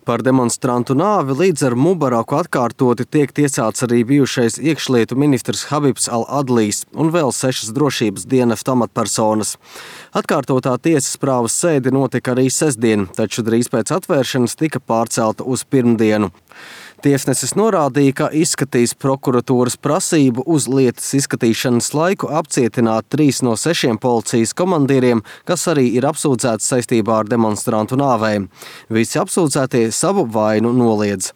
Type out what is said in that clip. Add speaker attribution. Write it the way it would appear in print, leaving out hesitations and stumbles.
Speaker 1: Par demonstrantu nāvi līdz ar Mubaraku atkārtoti tiek tiesāts arī bijušais iekšlietu ministrs Habibs al-Adlijs un vēl 6 drošības dienesta amatpersonas. Atkārtotā tiesas prāvas sēde notika arī sestdien, taču drīz pēc atvēršanas tika pārcelta uz pirmdienu. Tiesnesis norādīja, ka izskatīs prokuratūras prasību uz lietas izskatīšanas laiku apcietināt 3 no 6 policijas komandieriem, kas arī ir apsūdzēti saistībā ar demonstrantu nāvēm. Visi apsūdzētie savu vainu noliedz.